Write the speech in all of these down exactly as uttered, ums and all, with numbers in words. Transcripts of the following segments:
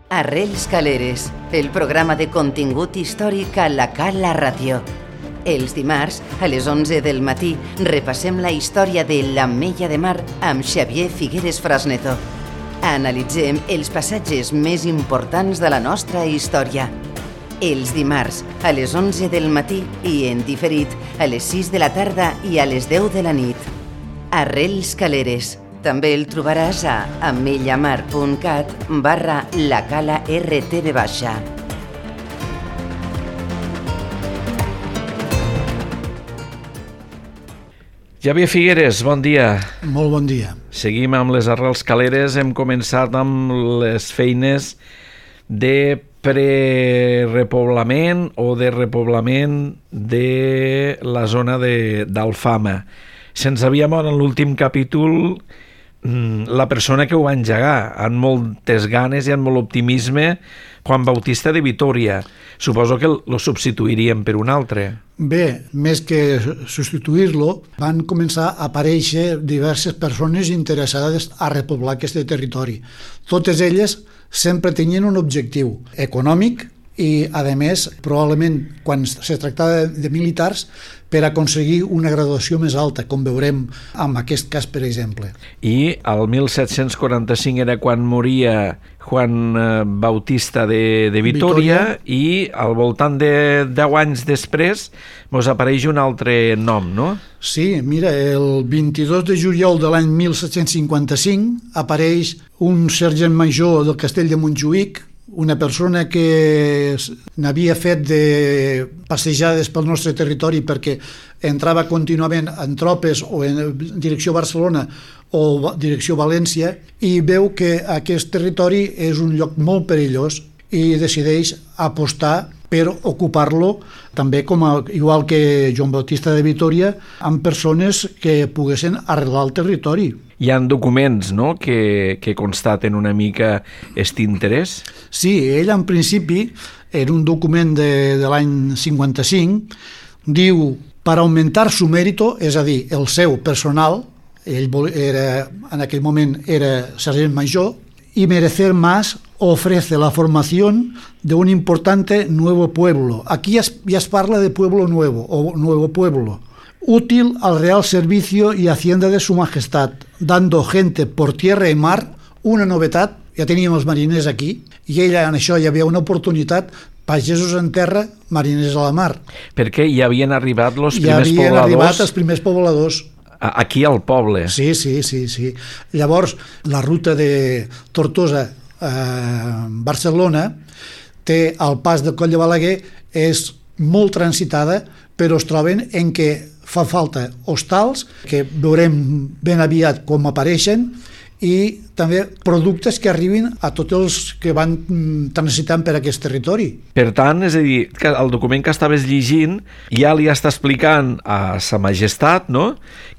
Arrels Caleres, el programa de contingut històric a la Cala Ràdio. Els dimarts, a les onze del matí, repassem la història de l'Ametlla de Mar amb Xavier Figueres Frasneto. Analitzem els passatges més importants de la nostra història. Els dimarts, a les onze del matí i en diferit, a les sis de la tarda i a les deu de la nit. Arrels Caleres. També el trobaràs a amellamar.cat barra la cala rtv baixa. Xavier Figueres, bon dia. Molt bon dia. Seguim amb les Arrels Caleres. Hem començat amb les feines de prerepoblament o de repoblament de la zona d'Alfama. Se'ns havia mort en l'últim capítol la persona que ho va engegar, amb moltes ganes i amb molt optimisme, Juan Bautista de Vitòria. Suposo que el substituiríem per un altre. Bé, més que substituir-lo, van començar a aparèixer diverses persones interessades a repoblar aquest territori. Totes elles sempre tenien un objectiu econòmic i, a més, probablement, quan se tractava de militars, per aconseguir una graduació més alta, com veurem en aquest cas, per exemple. I el mil set-cents quaranta-cinc era quan moria Juan Bautista de, de Vitòria, Vitòria i al voltant de deu anys després mos apareix un altre nom, no? Sí, mira, el vint-i-dos de juliol de l'any mil set-cents cinquanta-cinc apareix un sergent major del castell de Montjuïc, una persona que n'havia fet de passejades pel nostre territori perquè entrava contínuament en tropes o en direcció Barcelona o direcció València i veu que aquest territori és un lloc molt perillós i decideix apostar per ocupar-lo també, com a, igual que Joan Bautista de Vitòria, amb persones que poguessin arrelar el territori. Hi ha documents, no?, que, que constaten una mica aquest interès? Sí, ell en principi, en un document de, de l'any cinquanta-cinc, diu, per augmentar su mérito, és a dir, el seu personal, ell era, en aquell moment era sergent major, y merecer más ofrece la formación de un importante nuevo pueblo. Aquí ya es, ya es parla de pueblo nuevo o nuevo pueblo, útil al real servicio y hacienda de su majestad, dando gente por tierra y mar, una novetat, ja teníem els mariners aquí, i ella en això hi havia una oportunitat, pagesos en terra, mariners a la mar. Perquè hi havien arribat els primers pobladors. Hi havien pobladors... arribat els primers pobladors. Aquí al poble. Sí, sí, sí, sí. Llavors, la ruta de Tortosa a Barcelona té el pas del Coll de Balaguer, és molt transitada, però es troben en què fa falta hostals, que veurem ben aviat com apareixen, i també productes que arribin a tots els que van transitant per aquest territori. Per tant, és a dir, que el document que estaves llegint ja li està explicant a Sa Majestat, no?,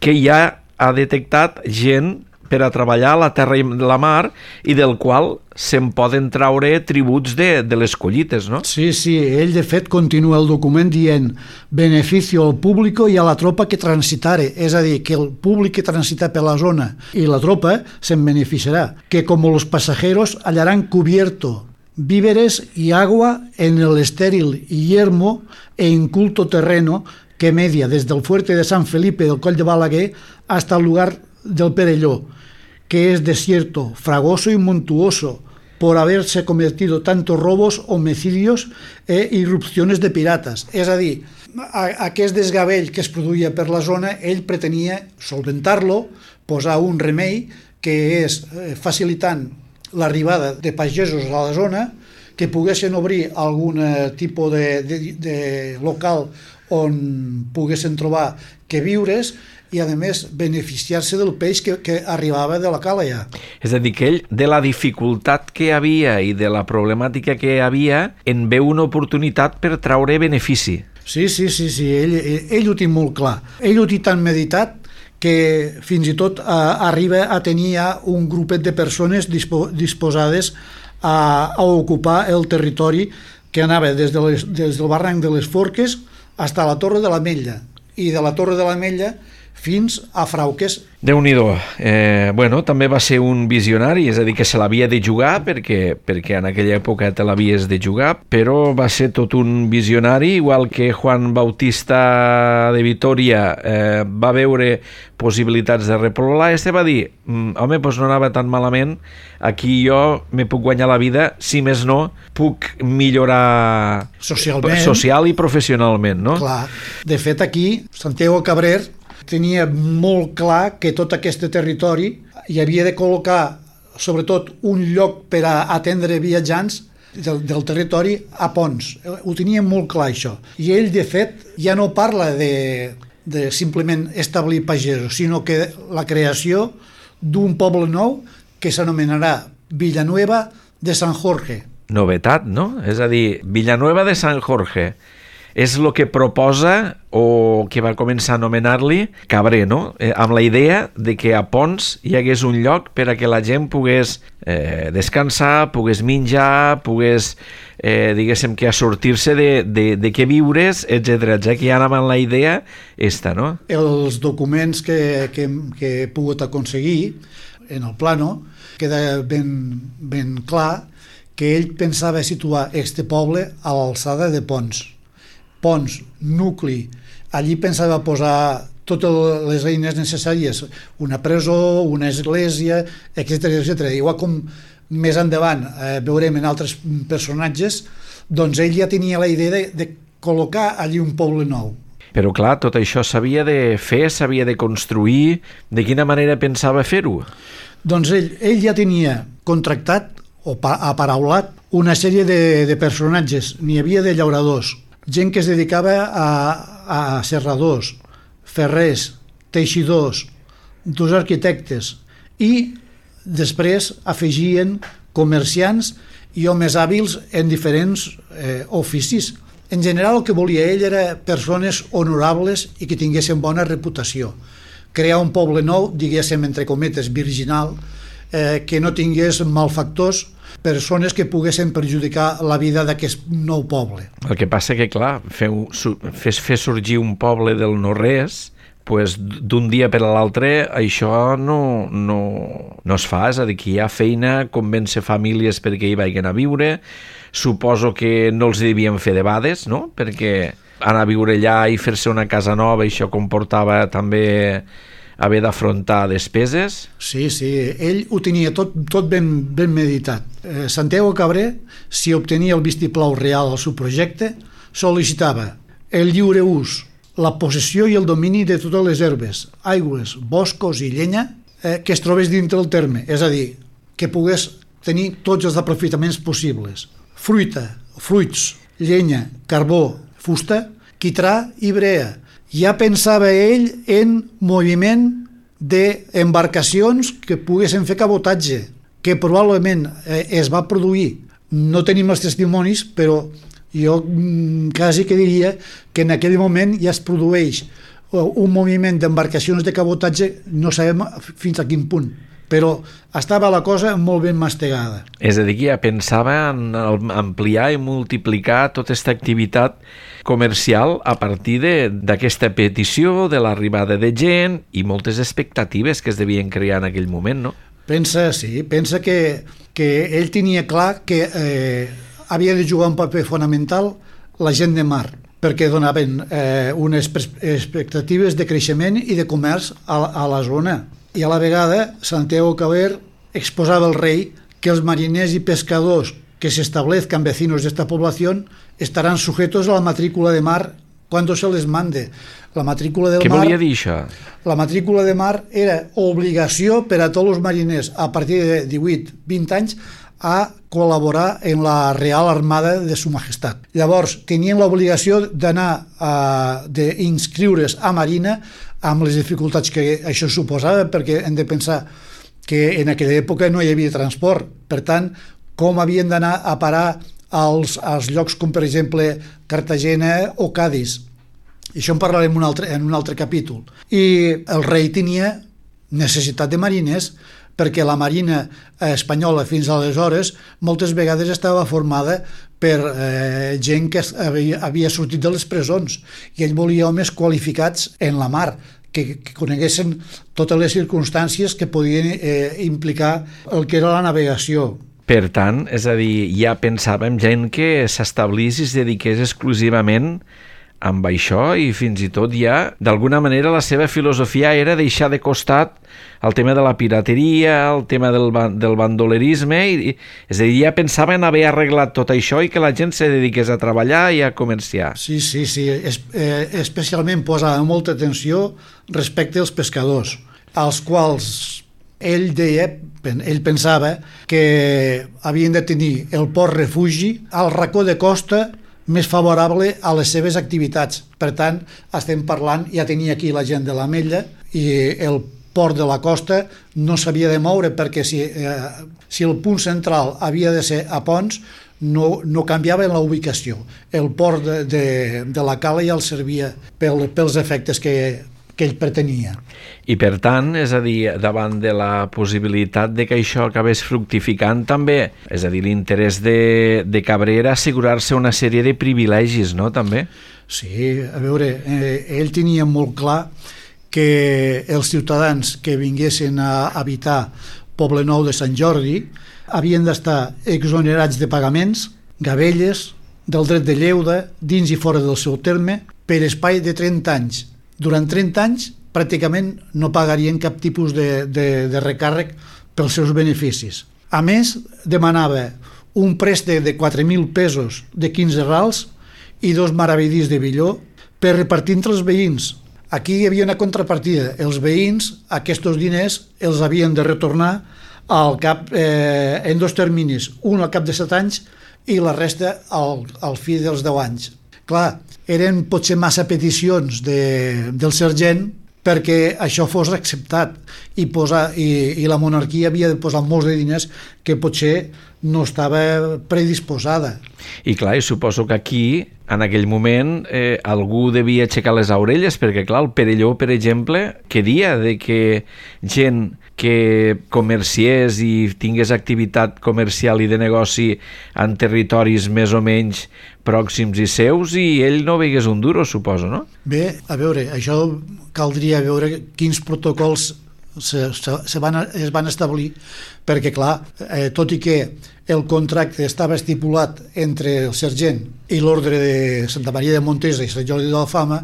que ja ha detectat gent per a treballar a la terra i la mar i del qual se'n poden traure tributs de, de les collites, no? Sí, sí, ell de fet continua el document dient beneficio al público y a la tropa que transitare, és a dir, que el públic que transita per la zona i la tropa se'n beneficiarà, que como los pasajeros hallarán cubierto víveres y agua en el estéril y yermo e inculto terreno que media desde el fuerte de San Felipe del Coll de Balaguer hasta el lugar del Perelló, que es desierto, fragoso y montuoso, por haberse cometido tantos robos, homicidios e irrupciones de piratas. És a dir, aquest desgavell que es produïa per la zona, ell pretenia solventar-lo, posar un remei, que és facilitant l'arribada de pagesos a la zona, que poguessin obrir algun tipus de, de, de local on poguessin trobar que viures i, a més, beneficiar-se del peix que, que arribava de la cala ja. És a dir, que ell, de la dificultat que hi havia i de la problemàtica que hi havia, en veu una oportunitat per traure benefici. Sí, sí, sí, sí. Ell, ell, ell ho té molt clar. Ell ho té tan meditat que fins i tot eh, arriba a tenir ja un grupet de persones dispo, disposades a, a ocupar el territori que anava des, de les, des del barranc de les Forques fins a la Torre de l'Ametlla, i de la Torre de l'Ametlla fins a Frauques. Déu-n'hi-do. Eh, bueno, també va ser un visionari, és a dir, que se l'havia de jugar perquè, perquè en aquella època te l'havies de jugar, però va ser tot un visionari, igual que Juan Bautista de Vitoria eh, va veure possibilitats de repoblar, este va dir, home, doncs no anava tan malament, aquí jo me puc guanyar la vida, si més no, puc millorar socialment, social i professionalment, no? Clar. De fet, aquí, Santiago Cabrer tenia molt clar que tot aquest territori hi havia de col·locar, sobretot, un lloc per a atendre viatjants del, del territori a Ponts. Ho tenia molt clar, això. I ell, de fet, ja no parla de, de simplement establir pagesos, sinó que la creació d'un poble nou que s'anomenarà Villanueva de San Jorge. Novetat, no? És a dir, Villanueva de San Jorge és el que proposa o que va començar a anomenar-li Cabrer, no? Eh, amb la idea de que a Ponts hi hagués un lloc per a que la gent pogués eh, descansar, pogués menjar, pogués, eh, diguéssim, que a sortir-se de, de, de què viures, etcètera. Ja que ja anava amb la idea esta, no? Els documents que, que, que he pogut aconseguir en el plano queda ben, ben clar que ell pensava situar este poble a l'alçada de Ponts. Ponts, nucli, allí pensava posar totes les eines necessàries, una presó, una església, etcètera, etcètera. Igual com més endavant eh, veurem en altres personatges, doncs ell ja tenia la idea de, de col·locar allí un poble nou. Però clar, tot això s'havia de fer, s'havia de construir. De quina manera pensava fer-ho? Doncs ell, ell ja tenia contractat o aparaulat una sèrie de, de personatges. N'hi havia de llauradors, gent que es dedicava a, a serradors, ferrers, teixidors, dos arquitectes, i després afegien comerciants i homes hàbils en diferents eh, oficis. En general, el que volia ell era persones honorables i que tinguessin bona reputació. Crear un poble nou, diguéssim, entre cometes, virginal, eh, que no tingués malfactors, persones que poguessin perjudicar la vida d'aquest nou poble. El que passa que, clar, fer, fer, fer sorgir un poble del no-res, pues, d'un dia per a l'altre, això no, no, no es fa. És a dir, que hi ha feina, convèncer famílies perquè hi vagin a viure. Suposo que no els devien fer debades, no? Perquè anar a viure allà i fer-se una casa nova, això comportava també haver d'afrontar despeses? Sí, sí, ell ho tenia tot, tot ben, ben meditat. Eh, Santiago Cabrer, si obtenia el vistiplau real al seu projecte, sol·licitava el lliure ús, la possessió i el domini de totes les herbes, aigües, boscos i llenya eh, que es trobés dintre el terme, és a dir, que pogués tenir tots els aprofitaments possibles. Fruita, fruits, llenya, carbó, fusta, quitrà i brea. Ja pensava ell en moviment d'embarcacions que poguessin fer cabotatge, que probablement eh, es va produir. No tenim els testimonis, però jo mm, quasi que diria que en aquell moment ja es produeix un moviment d'embarcacions de cabotatge, no sabem fins a quin punt, però estava la cosa molt ben mastegada. És a dir, que ja pensava en ampliar i multiplicar tota aquesta activitat comercial a partir d'aquesta petició, de l'arribada de gent i moltes expectatives que es devien crear en aquell moment, no? Pensa, sí, pensa que, que ell tenia clar que eh, havia de jugar un paper fonamental la gent de mar, perquè donaven eh, unes expectatives de creixement i de comerç a, a la zona. I a la vegada, Santiago Cabrer exposava al rei que els mariners i pescadors que se establezcan vecinos de esta población estarán sujetos a la matrícula de mar cuando se les mande. La matrícula del Què mar... Què volia dir això? La matrícula de mar era obligació per a tots els mariners a partir de divuit vint anys a col·laborar en la Real Armada de Su Majestat. Llavors, tenien l'obligació d'anar a d'inscriure's a Marina amb les dificultats que això suposava, perquè hem de pensar que en aquella època no hi havia transport. Per tant, com havien d'anar a parar als, als llocs com, per exemple, Cartagena o Cádiz. I això en parlarem un altre, en un altre capítol. I el rei tenia necessitat de mariners, perquè la marina espanyola fins aleshores moltes vegades estava formada per eh, gent que havia, havia sortit de les presons, i ell volia homes qualificats en la mar, que, que coneguessin totes les circumstàncies que podien eh, implicar el que era la navegació. Per tant, és a dir, ja pensàvem gent que s'establís i es dediqués exclusivament amb això i fins i tot ja, d'alguna manera, la seva filosofia era deixar de costat el tema de la pirateria, el tema del, del bandolerisme, i, és a dir, ja pensaven haver arreglat tot això i que la gent se dediqués a treballar i a comerciar. Sí, sí, sí. Es, eh, especialment posava molta atenció respecte als pescadors, als quals ell deia, ell pensava que havien de tenir el port refugi al racó de costa més favorable a les seves activitats. Per tant, estem parlant, ja tenia aquí la gent de l'Ametlla, i el port de la costa no s'havia de moure perquè si, eh, si el punt central havia de ser a Ponts, no, no canviava la ubicació. El port de, de, de la cala ja el servia pel, pels efectes que, que ell pretenia. I per tant, és a dir, davant de la possibilitat de que això acabés fructificant també, és a dir, l'interès de, de Cabrera assegurar-se una sèrie de privilegis, no?, també? Sí, a veure, eh, ell tenia molt clar que els ciutadans que vinguessin a habitar Poblenou de Sant Jordi havien d'estar exonerats de pagaments, gabelles, del dret de lleuda, dins i fora del seu terme, per espai de trenta anys. Durant trenta anys pràcticament no pagarien cap tipus de, de, de recàrrec pels seus beneficis. A més, demanava un préstec de quatre mil pesos de quinze rals i dos maravedís de billó per repartir entre els veïns. Aquí hi havia una contrapartida. Els veïns aquests diners els havien de retornar al cap, eh, en dos terminis, un al cap de set anys i la resta al, al fi dels deu anys. Clar, eren potser massa peticions de, del sergent perquè això fos acceptat i, posar, i, i la monarquia havia de posar molts de diners que potser no estava predisposada. I clar, i suposo que aquí, en aquell moment, eh, algú devia aixecar les orelles, perquè clar, el Perelló, per exemple, què dia de que gent que comerciés i tingués activitat comercial i de negoci en territoris més o menys pròxims i seus, i ell no veigués un duro, suposo, no? Bé, a veure, això caldria veure quins protocols se, se, se van, es van establir, perquè clar, eh, tot i que el contracte estava estipulat entre el sergent i l'ordre de Santa Maria de Montesa i Sant Jordi d'Alfama,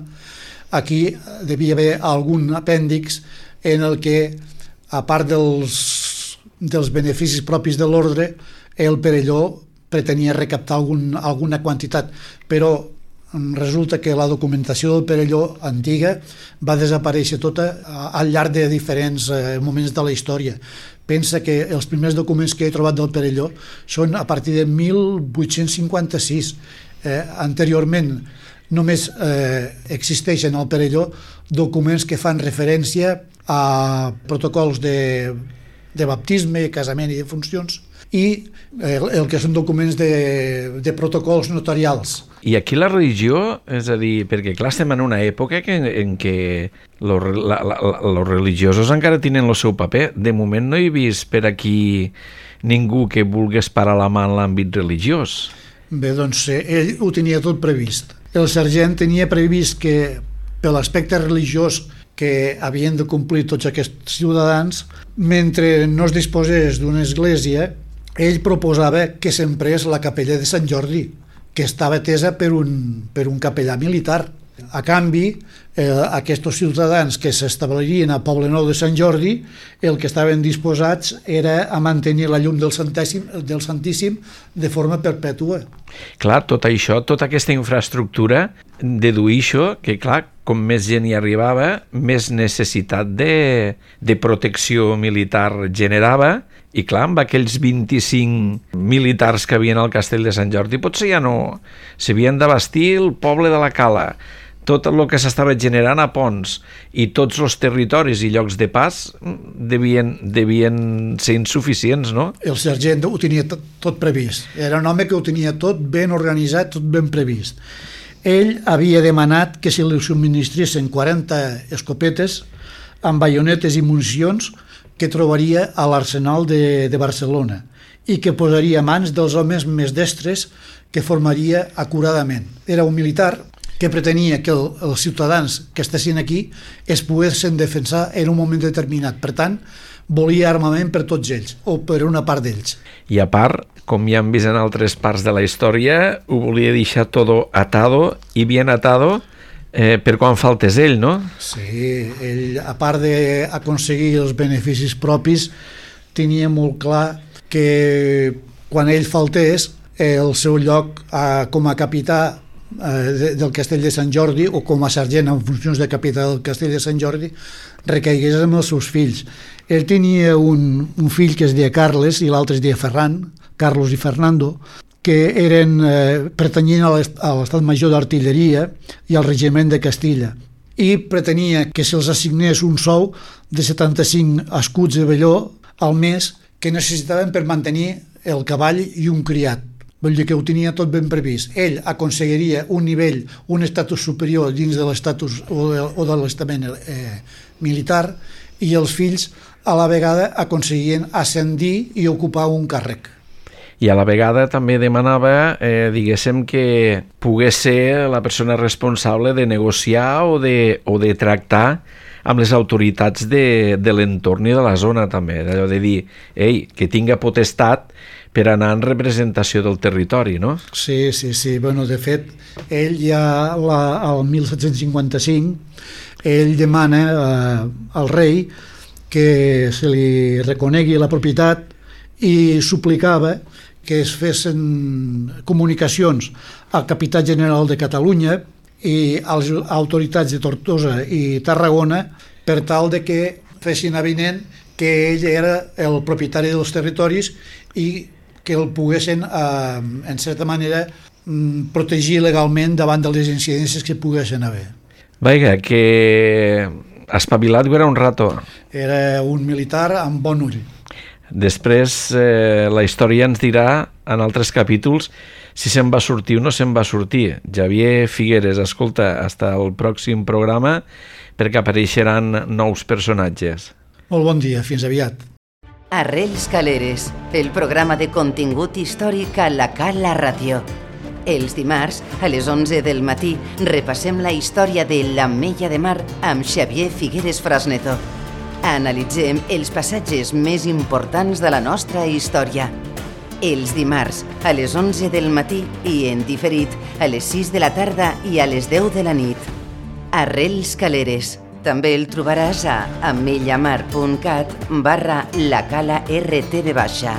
aquí devia haver algun apèndix en el que, a part dels, dels beneficis propis de l'ordre, el Perelló pretenia recaptar algun, alguna quantitat, però resulta que la documentació del Perelló antiga va desaparèixer tota al llarg de diferents eh, moments de la història. Pensa que els primers documents que he trobat del Perelló són a partir de mil vuit-cents cinquanta-sis. Eh, anteriorment només eh, existeixen al Perelló documents que fan referència a protocols de, de baptisme, casament i de funcions, i el, el que són documents de, de protocols notarials. I aquí la religió, és a dir, perquè clar, estem en una època que, en què los, la, la, los religiosos encara tenen el seu paper. De moment no he vist per aquí ningú que vulgués parar la mà en l'àmbit religiós. Bé, doncs ell ho tenia tot previst. El sergent tenia previst que, per l'aspecte religiós que havien de complir tots aquests ciutadans, mentre no es disposés d'una església, ell proposava que s'emprés la capella de Sant Jordi, que estava atesa per un, per un capellà militar. A canvi, eh, aquests ciutadans que s'establirien a Poblenou de Sant Jordi, el que estaven disposats era a mantenir la llum del Santíssim, del Santíssim de forma perpètua. Clar, tot això, tota aquesta infraestructura, deduïixo que, clar, com més gent hi arribava, més necessitat de, de protecció militar generava, i clar, amb aquells vint-i-cinc militars que havien al castell de Sant Jordi, potser ja no s'havien d'abastir el poble de la Cala, tot el que s'estava generant a Ponts i tots els territoris i llocs de pas devien, devien ser insuficients, no? El sergent ho tenia tot, tot previst. Era un home que ho tenia tot ben organitzat, tot ben previst. Ell havia demanat que se li subministressin quaranta escopetes amb baionetes i municions que trobaria a l'arsenal de, de Barcelona i que posaria a mans dels homes més destres que formaria acuradament. Era un militar que pretenia que el, els ciutadans que estessin aquí es poguessin defensar en un moment determinat. Per tant, volia armament per tots ells, o per una part d'ells. I a part, com ja hem vist en altres parts de la història, ho volia deixar todo atado i bien atado eh, per quan faltés ell, no? Sí, ell, a part d'aconseguir els beneficis propis, tenia molt clar que quan ell faltés, el seu lloc eh, com a capità eh, del Castell de Sant Jordi o com a sergent en funcions de capità del Castell de Sant Jordi recaigués amb els seus fills. Ell tenia un, un fill que es deia Carles i l'altre es deia Ferran, Carlos i Fernando, que eren, eh, pertanyien a l'Estat Major d'Artilleria i al Regiment de Castilla, i pretenia que se'ls assignés un sou de setanta-cinc escuts de velló al mes que necessitaven per mantenir el cavall i un criat. Vull dir que ho tenia tot ben previst. Ell aconseguiria un nivell, un estatus superior dins de l'estatus o de, o de l'estament eh, militar, i els fills a la vegada aconseguien ascendir i ocupar un càrrec. I a la vegada també demanava, eh, diguéssim, que pogués ser la persona responsable de negociar o de, o de tractar amb les autoritats de, de l'entorn i de la zona també, d'allò de dir, ei, que tinga potestat per anar en representació del territori, no? Sí, sí, sí. Bueno, de fet, ell ja la, al disset cinquanta-cinc, ell demana eh, al rei que se li reconegui la propietat i suplicava que es fessin comunicacions al capità general de Catalunya i a les autoritats de Tortosa i Tarragona per tal de que fessin avinent que ell era el propietari dels territoris i que el poguessin, eh, en certa manera, protegir legalment davant de les incidències que poguessin haver. Vaja, que espavilat era un rato. Era un militar amb bon ull. Després eh, la història ens dirà en altres capítols si se'n va sortir o no se'n va sortir. Xavier Figueres, escolta, hasta el pròxim programa perquè apareixeran nous personatges. Molt bon dia, fins aviat. Arrels Caleres, el programa de contingut històric a la Cala Ràdio. Els dimarts, a les onze del matí, repassem la història de l'Ametlla de Mar amb Xavier Figueres Frasneto. Analitzem els passatges més importants de la nostra història. Els dimarts, a les onze del matí i en diferit a les sis de la tarda i a les deu de la nit. Arrels Caleres. També el trobaràs a amellamar punt cat barra la cala R T V baixa.